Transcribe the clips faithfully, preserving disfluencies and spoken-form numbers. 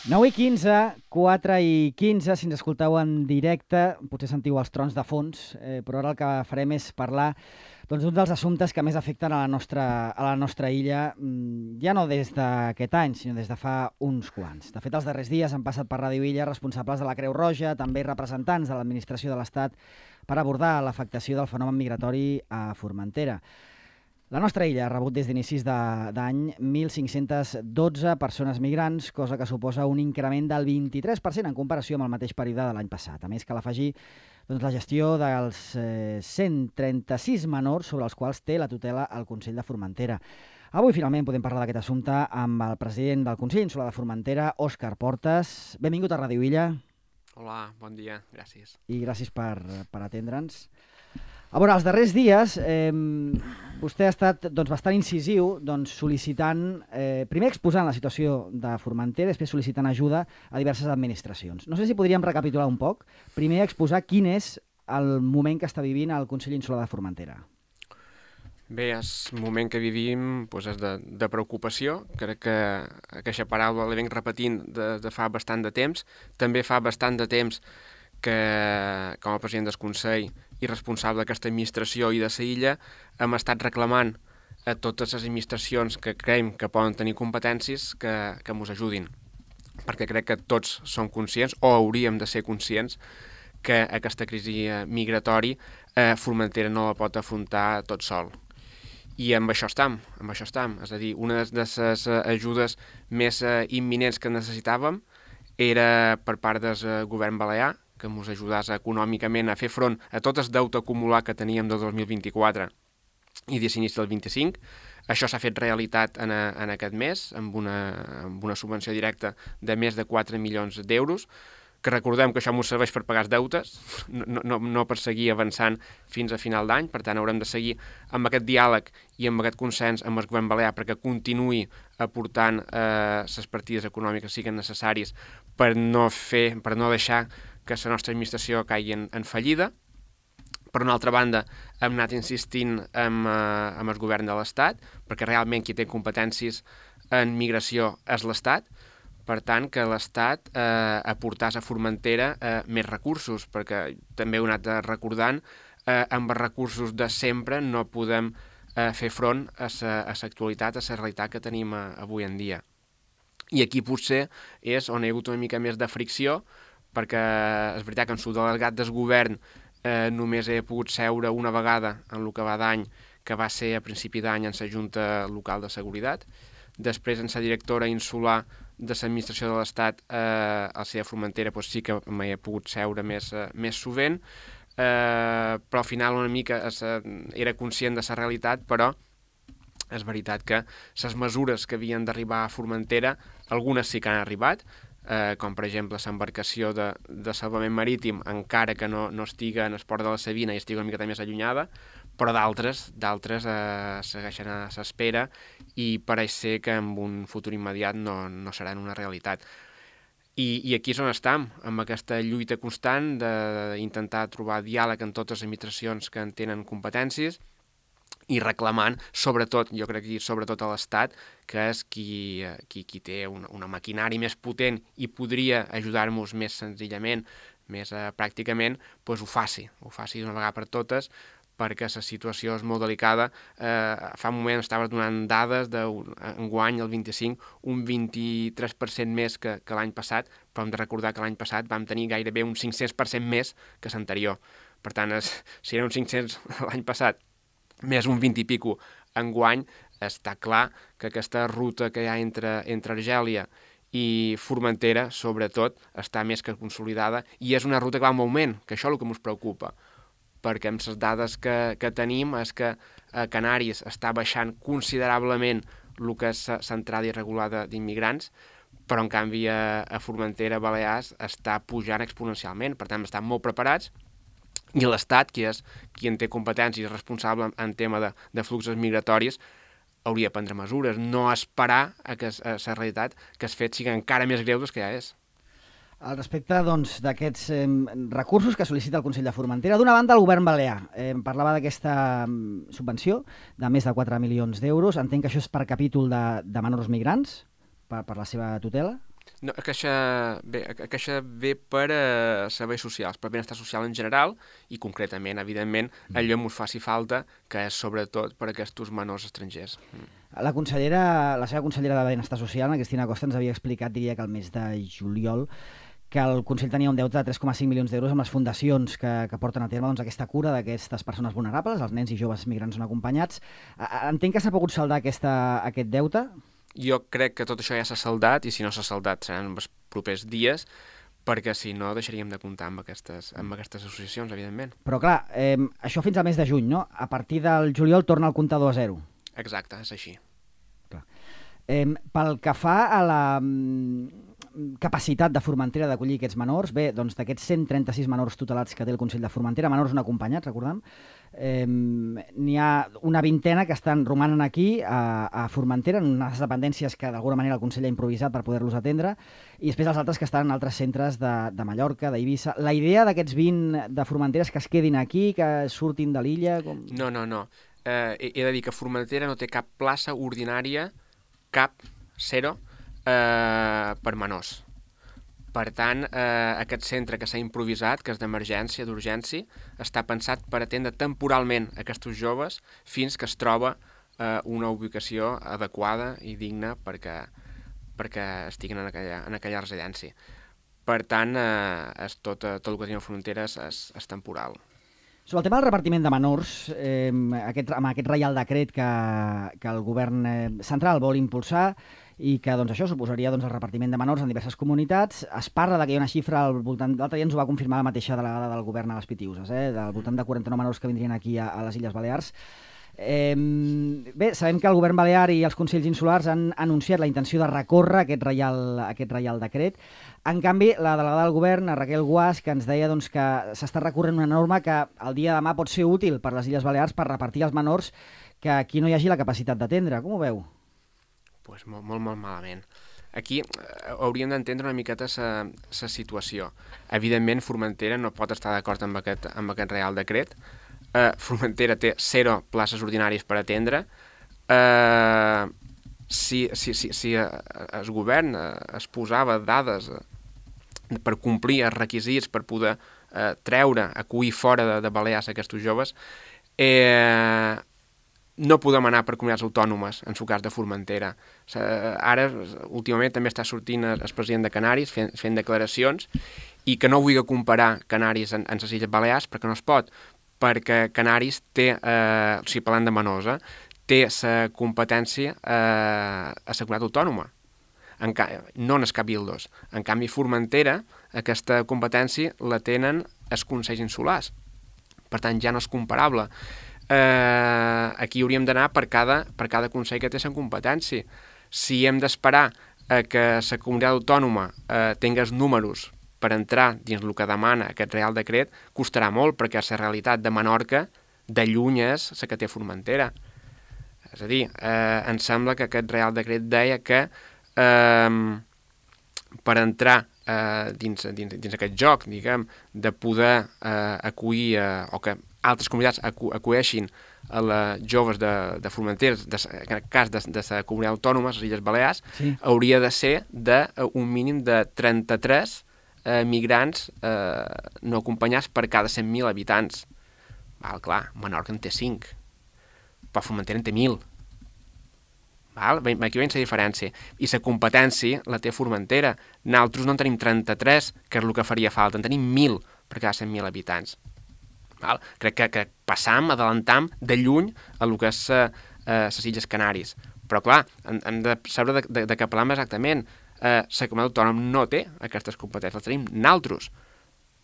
nou i quinze, quatre i quinze, si ens escolteu en directe, potser sentiu els trons de fons, eh, però ara el que farem és parlar doncs, d'un dels assumptes que més afecten a la nostra, a la nostra illa, ja no des d'aquest any, sinó des de fa uns quants. De fet, els darrers dies han passat per Ràdio Illa responsables de la Creu Roja, també representants de l'administració de l'Estat, per abordar l'afectació del fenomen migratori a Formentera. La nostra illa ha rebut des d'inicis d'any mil cinc-centes dotze persones migrants, cosa que suposa un increment del vint-i-tres per cent en comparació amb el mateix període de l'any passat. A més, cal afegir doncs, la gestió dels eh, cent trenta-sis menors sobre els quals té la tutela el Consell de Formentera. Avui, finalment, podem parlar d'aquest assumpte amb el president del Consell Insular de Formentera, Òscar Portas. Benvingut a Ràdio Illa. Hola, bon dia, gràcies. I gràcies per, per atendre'ns. A veure, els darrers dies eh, vostè ha estat doncs, bastant incisiu doncs, sol·licitant, eh, primer exposant la situació de Formentera, després sol·licitant ajuda a diverses administracions. No sé si podríem recapitular un poc. Primer exposar quin és el moment que està vivint el Consell Insular de Formentera. Bé, el moment que vivim doncs, és de, de preocupació. Crec que aquesta paraula la venc repetint de, de fa bastant de temps. També fa bastant de temps que, com a president del Consell i responsable d'aquesta administració i de la illa, hem estat reclamant a totes les administracions que creiem que poden tenir competències que, que ens ajudin. Perquè crec que tots som conscients, o hauríem de ser conscients, que aquesta crisi migratori eh, Formentera no la pot afrontar tot sol. I amb això estem, amb això estem. És a dir, una de les ajudes més eh, imminents que necessitàvem era per part del govern balear, que ens ajudés econòmicament a fer front a tot el deute acumulat que teníem del dos mil vint-i-quatre i des d'inici del vint-i-cinc. Això s'ha fet realitat en, a, en aquest mes, amb una, amb una subvenció directa de més de quatre milions d'euros, que recordem que això ens serveix per pagar els deutes, no, no, no per seguir avançant fins a final d'any. Per tant, haurem de seguir amb aquest diàleg i amb aquest consens amb el govern balear perquè continuï aportant eh, les partides econòmiques que siguin necessàries per no, fer, per no deixar que la nostra administració caigui en, en fallida. Per una altra banda, hem anat insistint amb, eh, amb el govern de l'Estat, perquè realment qui té competències en migració és l'Estat. Per tant, que l'Estat eh, aportàs a Formentera eh, més recursos, perquè també ho he anat recordant, eh, amb els recursos de sempre no podem eh, fer front a l'actualitat, a la realitat que tenim eh, avui en dia. I aquí potser és on hi ha hagut una mica més de fricció, perquè és veritat que en el delegat del govern eh, només he pogut seure una vegada en el que va d'any, que va ser a principi d'any en la Junta Local de Seguretat. Després, en la directora insular de l'administració de l'Estat, eh, al C I A Formentera, doncs sí que m'hi he pogut seure més, eh, més sovint, eh, però al final una mica es, eh, era conscient de la realitat, però és veritat que les mesures que havien d'arribar a Formentera, algunes sí que han arribat, eh, com per exemple l'embarcació de, de salvament marítim, encara que no, no estigui en el port de la Sabina i estigui una miqueta més allunyada, però d'altres d'altres eh, segueixen a l'espera i pareix ser que en un futur immediat no, no seran una realitat. I, I aquí és on estem, amb aquesta lluita constant d'intentar trobar diàleg amb totes les administracions que en tenen competències i reclamant, sobretot, jo crec que sobretot a l'Estat, que és qui, qui, qui té una, una maquinària més potent i podria ajudar-nos més senzillament, més eh, pràcticament, doncs ho faci, ho faci d'una vegada per totes, perquè la situació és molt delicada. Eh, fa un moment estaves donant dades d'enguany, el vint-i-cinc, un vint-i-tres per cent més que, que l'any passat, però hem de recordar que l'any passat vam tenir gairebé un cinc-cents per cent més que l'anterior. Per tant, es, si eren un cinc-cents l'any passat, més un vint i pico enguany, està clar que aquesta ruta que hi ha entre, entre Argèlia i Formentera, sobretot, està més que consolidada i és una ruta que va en augment, que això és el que ens preocupa, perquè amb les dades que, que tenim és que a Canàries està baixant considerablement el que és l'entrada irregular d'immigrants, però en canvi a, a Formentera, Balears, està pujant exponencialment. Per tant, estan molt preparats i l'Estat, qui és qui en té competències i responsable en tema de, de fluxos migratoris, hauria de prendre mesures, no esperar a que la realitat que els fets siguin encara més greus del que ja és. Al respecte doncs, d'aquests eh, recursos que sol·licita el Consell de Formentera, d'una banda el govern balear eh, parlava d'aquesta subvenció de més de quatre milions d'euros. Entenc que això és per capítol de, de menors migrants, per, per la seva tutela? No, a caixa, bé, a caixa ve per a serveis socials, per benestar social en general i concretament, evidentment, allò que us faci falta, que és sobretot per a aquests menors estrangers. La consellera, la seva consellera de Benestar Social, Cristina Costa, ens havia explicat, diria que el mes de juliol, que el Consell tenia un deute de tres coma cinc milions d'euros amb les fundacions que, que porten a terme doncs, aquesta cura d'aquestes persones vulnerables, els nens i joves migrants no acompanyats. Entenc que s'ha pogut saldar aquesta, aquest deute? Jo crec que tot això ja s'ha saldat, i si no s'ha saldat seran els propers dies, perquè si no deixaríem de comptar amb aquestes, amb aquestes associacions, evidentment. Però clar, eh, això fins al mes de juny, no? A partir del juliol torna el comptador a zero. Exacte, és així. Clar. Eh, pel que fa a la capacitat de Formentera d'acollir aquests menors, bé, doncs d'aquests cent trenta-sis menors tutelats que té el Consell de Formentera, menors no acompanyats, recordem, eh, n'hi ha una vintena que estan romanen aquí a, a Formentera, en unes dependències que d'alguna manera el Consell ha improvisat per poder-los atendre, i després els altres que estan en altres centres de, de Mallorca, d'Eivissa. La idea d'aquests vint de Formentera és que es quedin aquí, que surtin de l'illa? Com... No, no, no. Eh, he, he de dir que Formentera no té cap plaça ordinària, cap, zero, eh, per menors. Per tant, eh, aquest centre que s'ha improvisat, que és d'emergència, d'urgència, està pensat per atendre temporalment aquests joves fins que es troba eh, una ubicació adequada i digna perquè, perquè estiguin en aquella, en aquella residència. Per tant, eh, és tot, tot el que tenim a Fronteres és, és temporal. Sobre el tema del repartiment de menors, eh, aquest, amb aquest reial decret que, que el govern eh, central vol impulsar i que doncs, això suposaria doncs, el repartiment de menors en diverses comunitats, es parla de que hi ha una xifra al voltant, l'altre dia ens ho va confirmar la mateixa delegada del govern a les Pitiüses, eh, del voltant de quaranta-nou menors que vindrien aquí a, a les Illes Balears. Eh, bé, sabem que el govern balear i els consells insulars han anunciat la intenció de recórrer aquest reial, aquest reial decret. En canvi, la delegada del govern, Raquel Guas, que ens deia doncs, que s'està recorrent una norma que el dia de demà pot ser útil per les Illes Balears per repartir els menors que aquí no hi hagi la capacitat d'atendre. Com ho veu? Pues molt, molt, molt malament. Aquí eh, hauríem d'entendre una miqueta la situació. Evidentment, Formentera no pot estar d'acord amb aquest, amb aquest reial decret. Eh, Formentera té zero places ordinàries per atendre. Eh, si, si, si, si el govern es posava dades per complir els requisits per poder eh, treure, acollir fora de, de Balears aquests joves, eh, no podem anar per comunitats autònomes, en el cas de Formentera. Ara, últimament, també està sortint el president de Canaris fent, fent declaracions i que no vulgui comparar Canaris en, en les Illes Balears perquè no es pot, perquè Canaris té, eh, o sigui, parlant de menors, eh, té la competència eh, a la comunitat autònoma, en ca... no en els cabildos. En canvi, Formentera, aquesta competència la tenen els consells insulars. Per tant, ja no és comparable. Eh, aquí hauríem d'anar per cada, per cada consell que té la competència. Si hem d'esperar eh, que la comunitat autònoma eh, tingui els números per entrar dins el que demana aquest reial decret, costarà molt, perquè la realitat de Menorca de lluny és la que té Formentera. És a dir, eh, em sembla que aquest reial decret deia que eh, per entrar eh, dins, dins, dins aquest joc, diguem, de poder eh, acollir, eh, o que altres comunitats acu acolleixin a les joves de, de Formentera, de, en el cas de, de la comunitat autònoma, les Illes Balears, sí, hauria de ser d'un mínim de trenta-tres eh, migrants eh, no acompanyats per cada cent mil habitants. Val, clar, Menorca en té cinc, però Formentera en té mil. Val? Aquí veiem la diferència. I la competència la té Formentera. Nosaltres no en tenim trenta-tres, que és el que faria falta, en tenim mil per cada cent mil habitants. Val? Crec que, que passam, adelantam de lluny a el que és les uh, Illes Canàries. Però clar, hem, hem de saber de, de, de què parlam exactament. Uh, la comunitat autònoma no té aquestes competències, les tenim nosaltres.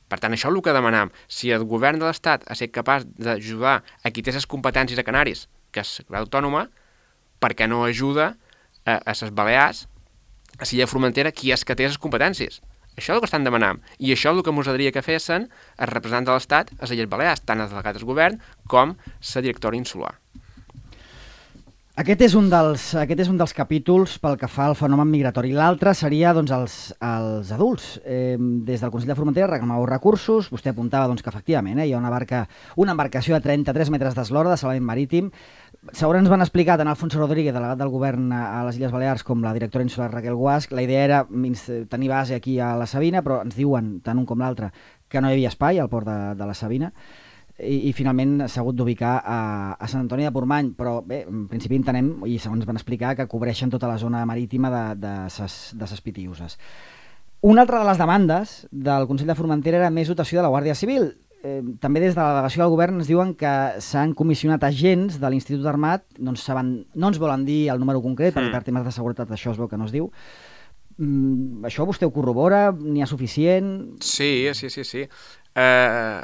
Per tant, això és el que demanam. Si el govern de l'Estat ha estat capaç d'ajudar a qui té les competències a Canàries, que és la comunitat autònoma, per què no ajuda a, a les Balears, a l'illa Formentera, qui és que té les competències? Això és el que estan demanant. I això és el que ens agradaria que fessin els representants de l'Estat a les Illes Balears, tant els delegats del govern com la directora insular. Aquest és un dels, aquest és un dels capítols pel que fa al fenomen migratori. L'altre seria doncs, els, els adults. Eh, des del Consell de Formentera reclamàveu recursos. Vostè apuntava doncs, que efectivament eh, hi ha una, barca, una embarcació de trenta-tres metres d'eslora de salvament marítim. Segons ens van explicar tant Alfonso Rodríguez, delegat del govern a les Illes Balears, com la directora insular Raquel Guasch, la idea era tenir base aquí a la Sabina, però ens diuen, tant un com l'altre, que no hi havia espai al port de, de la Sabina. I, i finalment s'ha hagut d'ubicar a, a Sant Antoni de Portmany, però bé, en principi entenem, i segons van explicar, que cobreixen tota la zona marítima de, de, ses, de ses Pitiüses. Una altra de les demandes del Consell de Formentera era més dotació de la Guàrdia Civil. Eh, també des de la delegació del govern ens diuen que s'han comissionat agents de l'Institut Armat, no ens, saben, no ens volen dir el número concret, perquè per temes de seguretat això es veu que no es diu. Mm, això vostè ho corrobora? N'hi ha suficient? Sí, sí, sí, sí. Uh,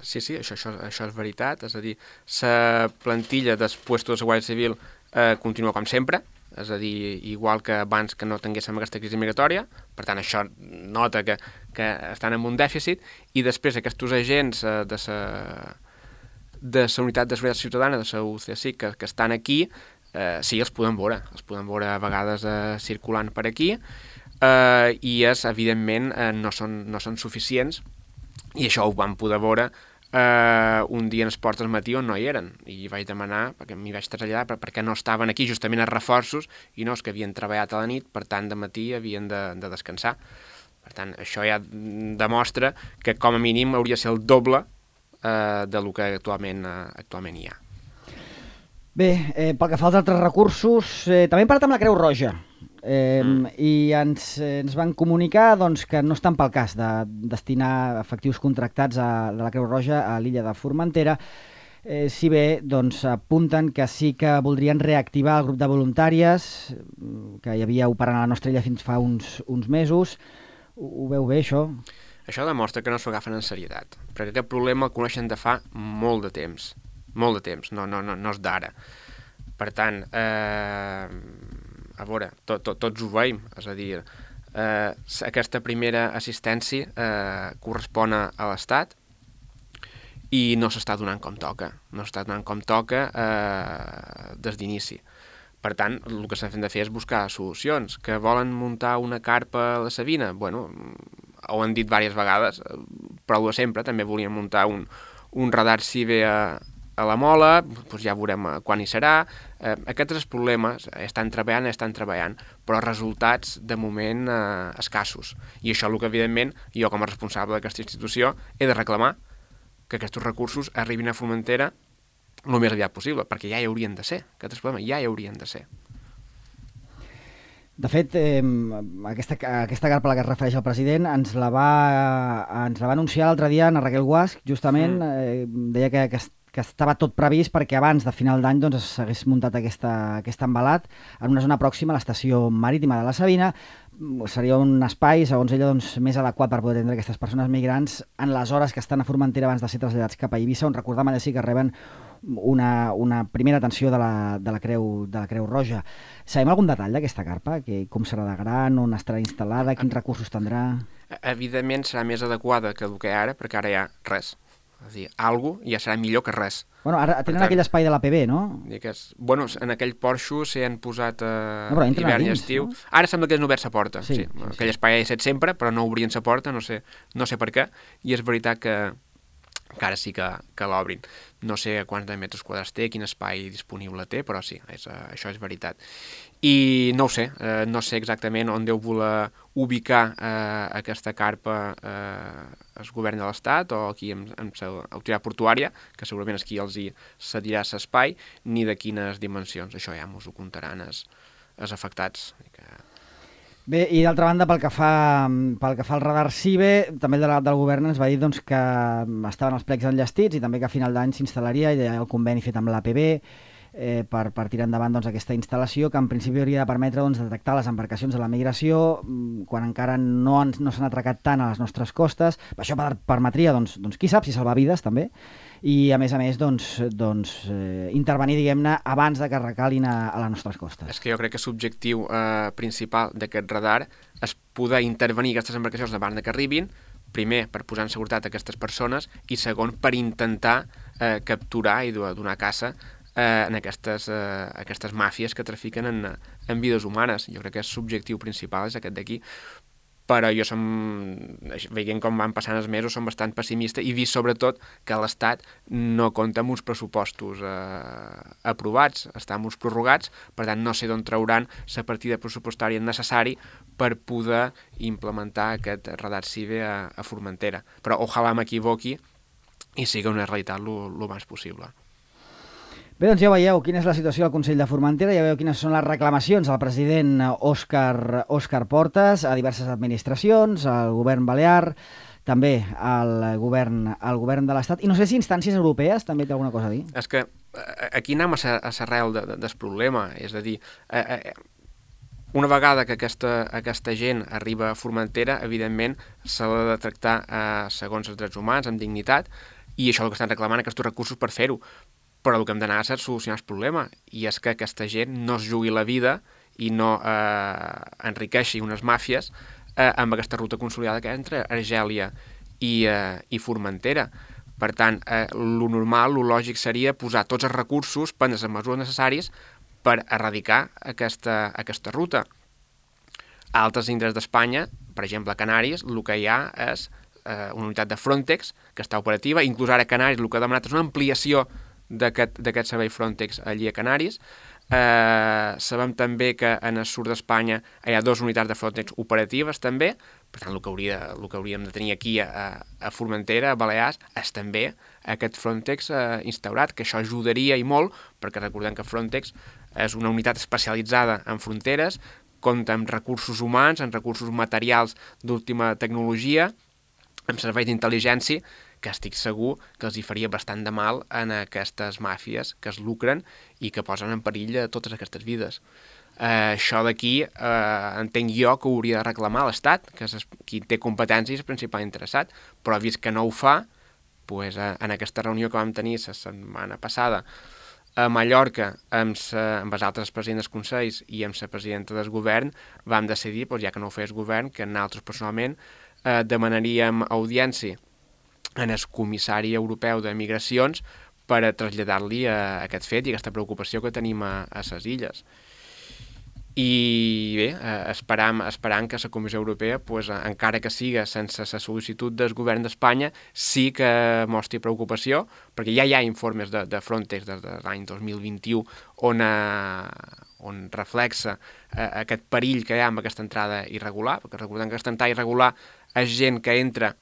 sí, sí, això, això, això és veritat, és a dir, la plantilla dels puestos de Guàrdia Civil uh, continua com sempre, és a dir, igual que abans que no tinguéssim aquesta crisi migratòria, per tant això nota que, que estan en un dèficit, i després aquests agents uh, de la de la unitat de seguretat ciutadana, de la U C S I C, que, que estan aquí, uh, sí, els podem veure, els podem veure a vegades uh, circulant per aquí, uh, i és, evidentment, uh, no, són, no són suficients. I això ho vam poder veure eh, un dia en els ports del matí on no hi eren. I vaig demanar, perquè m'hi vaig traslladar, per, perquè no estaven aquí justament els reforços, i no, és que havien treballat a la nit, per tant, de matí havien de, de descansar. Per tant, això ja demostra que com a mínim hauria de ser el doble eh, del que actualment, eh, actualment hi ha. Bé, eh, pel que fa als altres recursos, eh, també hem parlat amb la Creu Roja. Eh, mm. I ens, eh, ens van comunicar doncs, que no estan pel cas de destinar efectius contractats a, de la Creu Roja a l'illa de Formentera, eh, si bé doncs, apunten que sí que voldrien reactivar el grup de voluntàries que hi havia operant a la nostra illa fins fa uns, uns mesos. Ho, ho veu bé, això? Això demostra que no s'ho agafen en serietat, perquè aquest problema el coneixen de fa molt de temps, molt de temps, no, no, no, no és d'ara. Per tant, eh... a veure, to, to, tots ho veiem, és a dir, eh, aquesta primera assistència eh, correspon a l'Estat i no s'està donant com toca, no s'està donant com toca eh, des d'inici. Per tant, el que s'ha de fer és buscar solucions. Que volen muntar una carpa a la Sabina? Bueno, ho han dit diverses vegades, però de sempre, també volien muntar un, un radar CIBE a, a la Mola, doncs ja veurem quan hi serà. Eh, aquests problemes estan treballant, estan treballant, però resultats de moment eh, escassos. I això és el que, evidentment, jo com a responsable d'aquesta institució he de reclamar, que aquests recursos arribin a Formentera el més aviat possible, perquè ja hi haurien de ser. Aquests problemes ja hi haurien de ser. De fet, eh, aquesta, aquesta carpa a la que es refereix el president ens la va, ens la va anunciar l'altre dia en Raquel Guasch, justament, mm. eh, deia que, que que estava tot previst perquè abans de final d'any doncs, s'hagués muntat aquesta, aquest embalat en una zona pròxima a l'estació marítima de la Sabina. Seria un espai, segons ella, doncs, més adequat per poder atendre aquestes persones migrants en les hores que estan a Formentera abans de ser traslladats cap a Eivissa, on recordam allà sí que reben una, una primera atenció de la, de, la Creu, de la Creu Roja. Sabem algun detall d'aquesta carpa? Que, com serà de gran, on estarà instal·lada, quins recursos tindrà? Evidentment serà més adequada que el que hi ha ara, perquè ara hi ha res. És a dir, alguna cosa ja serà millor que res. Bueno, ara tenen tant, aquell espai de l'A P B, no? Que és, bueno, en aquell porxo s'hi han posat eh, no, hivern i dins, estiu. No? Ara sembla que han obert la porta. Sí, sí. Sí, aquell sí. espai ha estat sempre, però no obrien la porta, no sé, no sé per què. I és veritat que, que ara sí que, que l'obrin. No sé quants de metres quadrats té, quin espai disponible té, però sí, és, això és veritat. I no ho sé, eh, no sé exactament on deu voler ubicar eh, aquesta carpa eh, el govern de l'Estat o aquí amb, amb l'autoritat portuària, que segurament és qui els hi cedirà l'espai, ni de quines dimensions. Això ja ens ho comptaran els, els afectats. Que... Bé, i d'altra banda, pel que fa, pel que fa al radar CIBE, també el delegat del govern ens va dir doncs, que estaven els plecs enllestits i també que a final d'any s'instal·laria i el conveni fet amb l'A P B eh, per, per tirar endavant doncs, aquesta instal·lació que en principi hauria de permetre doncs, detectar les embarcacions de la migració quan encara no, han, no s'han atracat tant a les nostres costes. Això permetria, doncs, doncs, qui sap si salvar vides també, i a més a més doncs, doncs, eh, intervenir diguem-ne abans de que recalin a, a les nostres costes. És que jo crec que l'objectiu eh, principal d'aquest radar és poder intervenir aquestes embarcacions abans de que arribin, primer per posar en seguretat aquestes persones i segon per intentar eh, capturar i donar caça eh, en aquestes, eh, aquestes màfies que trafiquen en, en vides humanes. Jo crec que és l'objectiu principal, és aquest d'aquí. Però jo som, veient com van passant els mesos, som bastant pessimista i vist sobretot que l'Estat no compta amb uns pressupostos eh, aprovats, està amb uns prorrogats, per tant no sé d'on trauran la partida pressupostària necessari per poder implementar aquest radar CIBE a, a Formentera. Però ojalà m'equivoqui i sigui una realitat el més possible. Bé, doncs ja veieu quina és la situació al Consell de Formentera, ja veieu quines són les reclamacions al president Òscar, Òscar Portas a diverses administracions, al govern balear, també al govern, al govern de l'Estat, i no sé si instàncies europees també té alguna cosa a dir. És que aquí anem a l'arrel de, de, del problema, és a dir, eh, eh, una vegada que aquesta, aquesta gent arriba a Formentera, evidentment s'ha de tractar eh, segons els drets humans, amb dignitat, i això és el que estan reclamant aquests recursos per fer-ho. Però el que hem d'anar és a solucionar el problema, i és que aquesta gent no es jugui la vida i no eh, enriqueixi unes màfies eh, amb aquesta ruta consolidada que hi ha entre Argèlia i, eh, i Formentera. Per tant, eh, lo normal, lo lògic seria posar tots els recursos, prendre les mesures necessàries per erradicar aquesta, aquesta ruta. A altres indrets d'Espanya, per exemple a Canàries, el que hi ha és eh, una unitat de Frontex que està operativa, inclús ara a Canàries el que ha demanat és una ampliació d'aquest servei Frontex allí a Canàries. Eh, sabem també que en el sud d'Espanya hi ha dues unitats de Frontex operatives també, per tant el que, hauria, el que hauríem de tenir aquí a, a Formentera, a Balears, és també aquest Frontex eh, instaurat, que això ajudaria i molt, perquè recordem que Frontex és una unitat especialitzada en fronteres, compta amb recursos humans, amb recursos materials d'última tecnologia, amb serveis d'intel·ligència, que estic segur que els hi faria bastant de mal en aquestes màfies que es lucren i que posen en perill totes aquestes vides. Eh, això d'aquí eh, entenc jo que ho hauria de reclamar l'Estat, que és qui té competències principal interessat, però vist que no ho fa, pues, eh, en aquesta reunió que vam tenir la setmana passada a Mallorca amb, sa, amb els altres presidents dels consells i amb la presidenta del govern, vam decidir, pues, ja que no ho fes govern, que nosaltres personalment eh, demanaríem audiència en el comissari europeu de migracions per a traslladar-li a aquest fet i aquesta preocupació que tenim a, a les illes. I bé, eh, esperam, esperam que la Comissió Europea, pues, encara que siga sense la sol·licitud del govern d'Espanya, sí que mostri preocupació, perquè ja hi ha informes de, de Frontex des de l'any dos mil vint-i-u on, eh, on reflexa eh, aquest perill que hi ha amb aquesta entrada irregular, perquè recordem que aquesta entrada irregular és gent que entra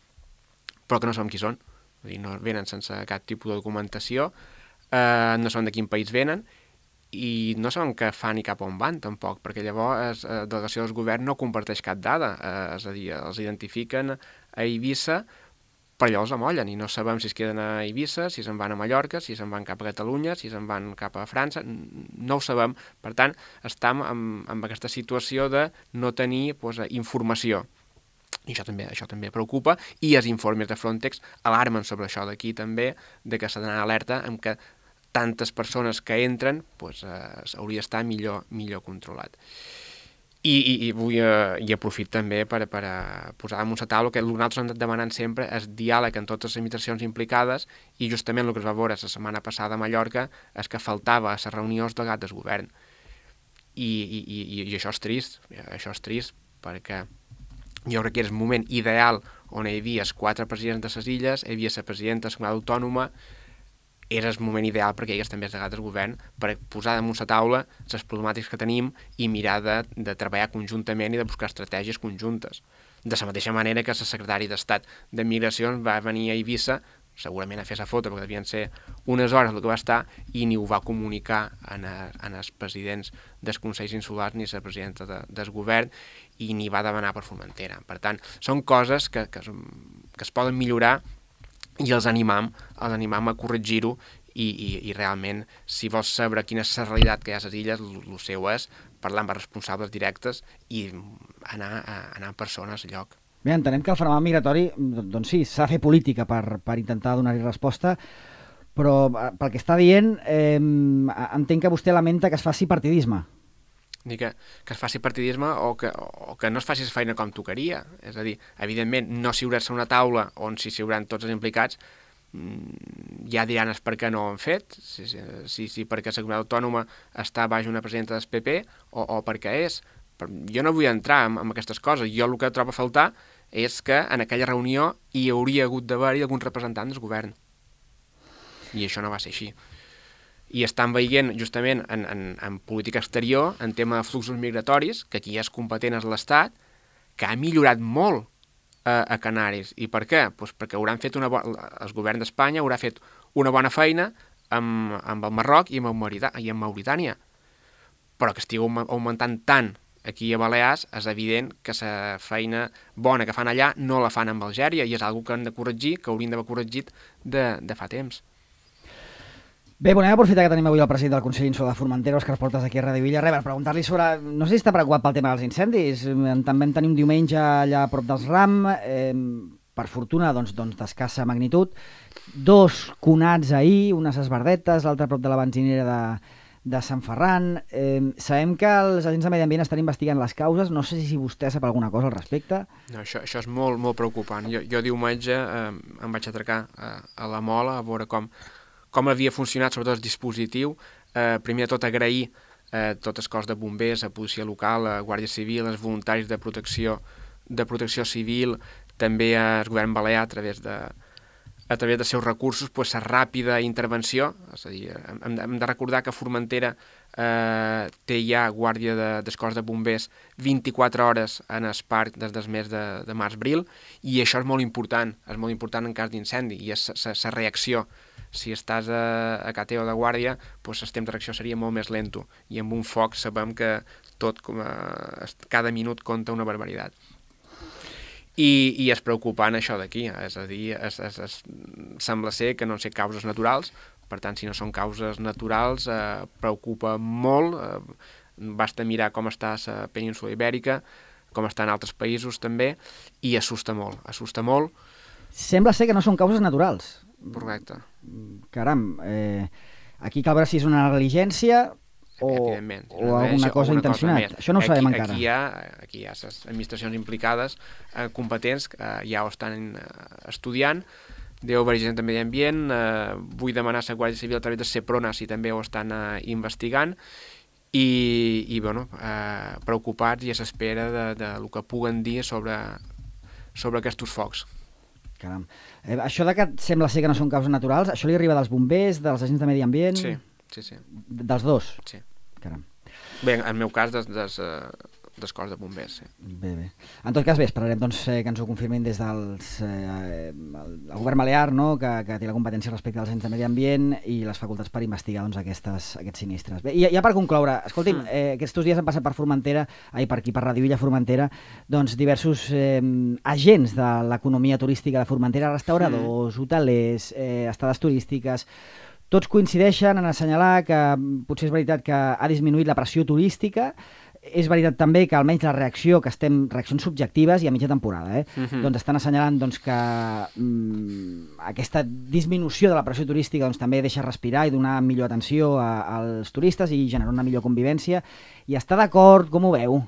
però que no sabem qui són, vull dir, no venen sense cap tipus de documentació, eh, no sabem de quin país venen i no sabem què fan i cap on van tampoc, perquè llavors la eh, delegació del govern no comparteix cap dada, eh, és a dir, els identifiquen a Eivissa però llavors amollen i no sabem si es queden a Eivissa, si se'n van a Mallorca, si se'n van cap a Catalunya, si se'n van cap a França, no ho sabem. Per tant, estem amb, amb aquesta situació de no tenir pues, informació. I això també, això també preocupa, i els informes de Frontex alarmen sobre això d'aquí també, de que s'ha d'anar alerta amb que tantes persones que entren pues, eh, hauria d'estar millor, millor controlat. I, i, i vull eh, i aprofit també per, per a posar damunt la taula que el que nosaltres hem anat demanant sempre és diàleg en totes les administracions implicades, i justament el que es va veure la setmana passada a Mallorca és que faltava a les reunions del gat del govern. I, i, i, i això és trist, això és trist perquè jo crec que era el moment ideal on hi havia els quatre presidents de les illes, hi havia la presidenta de la comunitat autònoma, era el moment ideal perquè hi hagués també el delegats del govern per posar damunt la taula les problemàtiques que tenim i mirar de, de treballar conjuntament i de buscar estratègies conjuntes. De la mateixa manera que el secretari d'Estat de Migracions va venir a Eivissa, segurament a fer la foto, perquè devien ser unes hores el que va estar, i ni ho va comunicar en, a, en els presidents dels Consells Insulars ni la presidenta de, del govern, i ni va demanar per Formentera. Per tant, són coses que, que, que es poden millorar i els animam, els animam a corregir-ho i, i, i realment, si vols saber quina és la realitat que hi ha a les illes, el seu és parlar amb els responsables directes i anar, a, anar en persona al lloc. Bé, entenem que el fenomen migratori, doncs sí, s'ha de fer política per, per intentar donar-hi resposta, però pel que està dient, eh, entenc que vostè lamenta que es faci partidisme. Dir que, que es faci partidisme o que, o que no es faci la feina com tocaria. És a dir, evidentment, no s'hi haurà una taula on s'hi hauran tots els implicats, ja diran és per què no ho han fet, si, si, si perquè la comunitat autònoma està baix una presidenta del P P o, o per què és. Jo no vull entrar en, en aquestes coses. Jo el que trobo a faltar és que en aquella reunió hi hauria hagut d'haver-hi alguns representants del govern. I això no va ser així. I estan veient justament en, en, en política exterior, en tema de fluxos migratoris, que aquí és competent és l'Estat, que ha millorat molt a, a Canaris. I per què? Pues perquè hauran fet una bona, el govern d'Espanya haurà fet una bona feina amb, amb el Marroc i amb, el Maurita, i amb Mauritània. Però que estigui augmentant tant aquí a Balears, és evident que la feina bona que fan allà no la fan amb Algèria, i és una cosa que han de corregir, que haurien d'haver corregit de, de fa temps. Bé, volem aprofitar que tenim avui el president del Consell Insular de Formentera, Òscar Portas, aquí a Ràdio Illa. Res, per preguntar-li sobre... No sé si està preocupat pel tema dels incendis. També en tenim diumenge allà a prop dels Ram, eh, per fortuna, doncs, doncs d'escassa magnitud. Dos conats ahir, unes esbardetes, l'altre a prop de la benzinera de, de Sant Ferran. Eh, sabem que els agents de Medi Ambient estan investigant les causes. No sé si vostè sap alguna cosa al respecte. No, això, això és molt, molt preocupant. Jo, jo diumenge eh, em vaig atracar a, a la Mola a veure com... com havia funcionat sobretot el dispositiu. Eh, primer de tot agrair eh, tot el cos de bombers, a policia local, a Guàrdia Civil, als voluntaris de protecció, de protecció civil, també al govern balear a través de, a través dels seus recursos, pues, la ràpida intervenció. És a dir, hem, hem de recordar que Formentera eh, té ja guàrdia de, del cos de bombers vint-i-quatre hores en el parc des del mes de, de març-abril, i això és molt important, és molt important en cas d'incendi, i és la reacció. Si estàs a, a Cateo de guàrdia, doncs el temps de reacció seria molt més lento, i amb un foc sabem que tot, com a, cada minut compta una barbaritat. I, i és preocupant això d'aquí, és a dir, es, es, es, sembla ser que no sé causes naturals, per tant, si no són causes naturals, eh, preocupa molt, eh, basta mirar com està la península Ibèrica, com està en altres països també, i assusta molt, assusta molt. Sembla ser que no són causes naturals. Correcte. Caram, eh, aquí cal veure si és una negligència o, o alguna cosa intencionada. Això no ho sabem aquí, encara. Aquí hi, ha, aquí hi ha les administracions implicades, eh, competents, eh, ja ho estan eh, estudiant. Deu haver gent de Medi Ambient, eh, vull demanar a la Guàrdia Civil a través de Seprona si també ho estan eh, investigant, i, i bueno, eh, preocupats i a l'espera de, de lo que puguen dir sobre, sobre aquests focs. Caram. Eh, això de que sembla ser que no són causes naturals, això li arriba dels bombers, dels agents de Medi Ambient? Sí, sí, sí. Dels dos? Sí. Caram. Bé, en el meu cas, des, des, des cos de bombers, sí. Bé, bé. En tot cas, bé, esperarem doncs, eh, que ens ho confirmin des del eh, el, el govern balear, no?, que, que té la competència respecte als agents de Medi Ambient i les facultats per investigar doncs, aquestes, aquests sinistres. Bé, i ja per concloure, escolti'm, mm. eh, aquests dies han passat per Formentera, ai, per aquí, per Ràdio Illa Formentera, doncs diversos eh, agents de l'economia turística de Formentera, restauradors, mm. hotelers, eh, estades turístiques. Tots coincideixen en assenyalar que potser és veritat que ha disminuït la pressió turística. És veritat també que almenys la reacció, que estem reaccions subjectives i a mitja temporada, eh? Uh-huh. doncs estan assenyalant doncs, que mm, aquesta disminució de la pressió turística doncs, també deixa respirar i donar millor atenció a, als turistes i generar una millor convivència. I està d'acord? Com ho veu?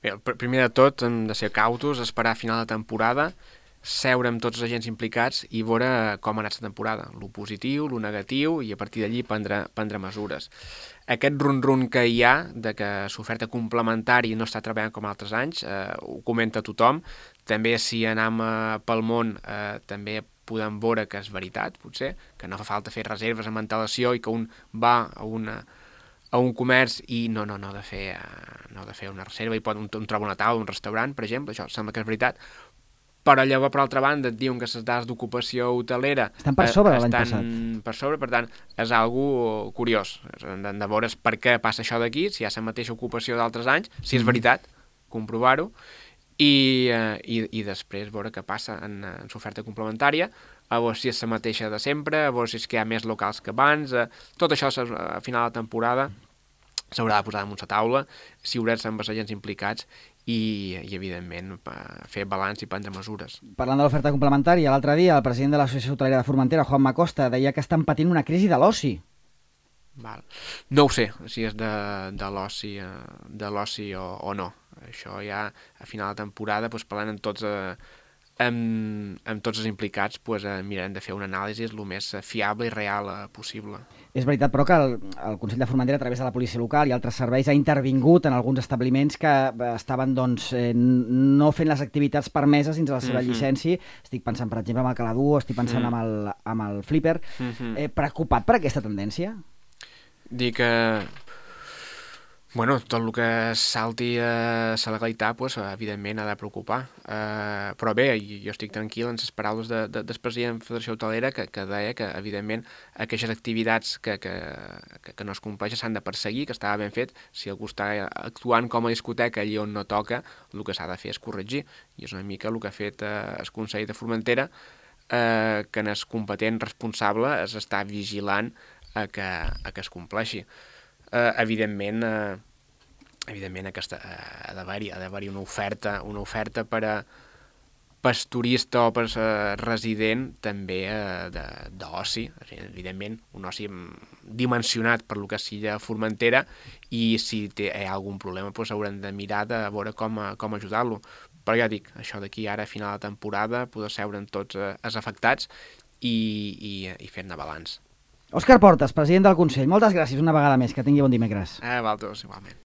Bé, primer de tot hem de ser cautos, esperar a final de temporada, seure amb tots els agents implicats i veure com ha anat la temporada, lo positiu, lo negatiu, i a partir d'allí prendre, prendre mesures. Aquest run-run que hi ha de que l'oferta complementària no està treballant com altres anys, eh, ho comenta tothom. També si anem eh, pel món eh, també podem veure que és veritat, potser, que no fa falta fer reserves amb antelació i que un va a una a un comerç i no, no, no ha de fer, eh, no ha de fer una reserva i pot un, un troba una taula, un restaurant, per exemple, això sembla que és veritat. Però llavors, per altra banda, et diuen que les dades d'ocupació hotelera estan per sobre eh, l'any estan passat. per sobre, per tant, és algo curiós. Hem de veure per què passa això d'aquí, si hi ha la mateixa ocupació d'altres anys, si és veritat, comprovar-ho, i, eh, i, i després veure què passa en, en l'oferta complementària, a veure si és la mateixa de sempre, a veure si és que hi ha més locals que abans, eh, tot això a final de temporada s'haurà de posar damunt la taula, si haurà amb els agents implicats, i, i evidentment fer balanç i prendre mesures. Parlant de l'oferta complementària, l'altre dia el president de l'Associació Hotelera de Formentera, Juan Macosta, deia que estan patint una crisi de l'oci. Val. No ho sé, si és de, de l'oci de l'oci o, o no. Això ja a final de temporada, doncs, parlant amb tots, eh, amb, amb tots els implicats pues, eh, mirarem de fer una anàlisi el més fiable i real eh, possible. És veritat, però, que el, el Consell de Formentera, a través de la policia local i altres serveis, ha intervingut en alguns establiments que estaven doncs, eh, no fent les activitats permeses dins de la seva mm-hmm. llicència. Estic pensant, per exemple, en el Caladú, estic pensant mm. amb, el, amb el Flipper. Mm-hmm. Eh, preocupat per aquesta tendència? Dic que... Bueno, tot el que salti a la legalitat, pues, evidentment, ha de preocupar. Uh, però bé, jo estic tranquil en les paraules de, de, del president de la Federació Hotelera que, que deia que, evidentment, aquestes activitats que, que, que, que no es compleixen s'han de perseguir, que estava ben fet. Si algú està actuant com a discoteca allí on no toca, el que s'ha de fer és corregir. I és una mica el que ha fet uh, el Consell de Formentera, uh, que en el competent responsable es està vigilant a que, a que es compleixi. Uh, evidentment, uh, evidentment aquesta, uh, ha d'haver-hi ha d'haver-hi una oferta, una oferta per a per turista o per uh, resident també uh, d'oci, evidentment, un oci dimensionat per lo que sigui a Formentera, i si té, hi ha algun problema doncs haurem de mirar de veure com, com ajudar-lo. Però ja dic, això d'aquí ara a final de temporada poder seure amb tots uh, els afectats i, i, i fer-ne balanç. Òscar Portas, president del Consell, moltes gràcies una vegada més, que tingui bon dimecres. A vosaltres, igualment.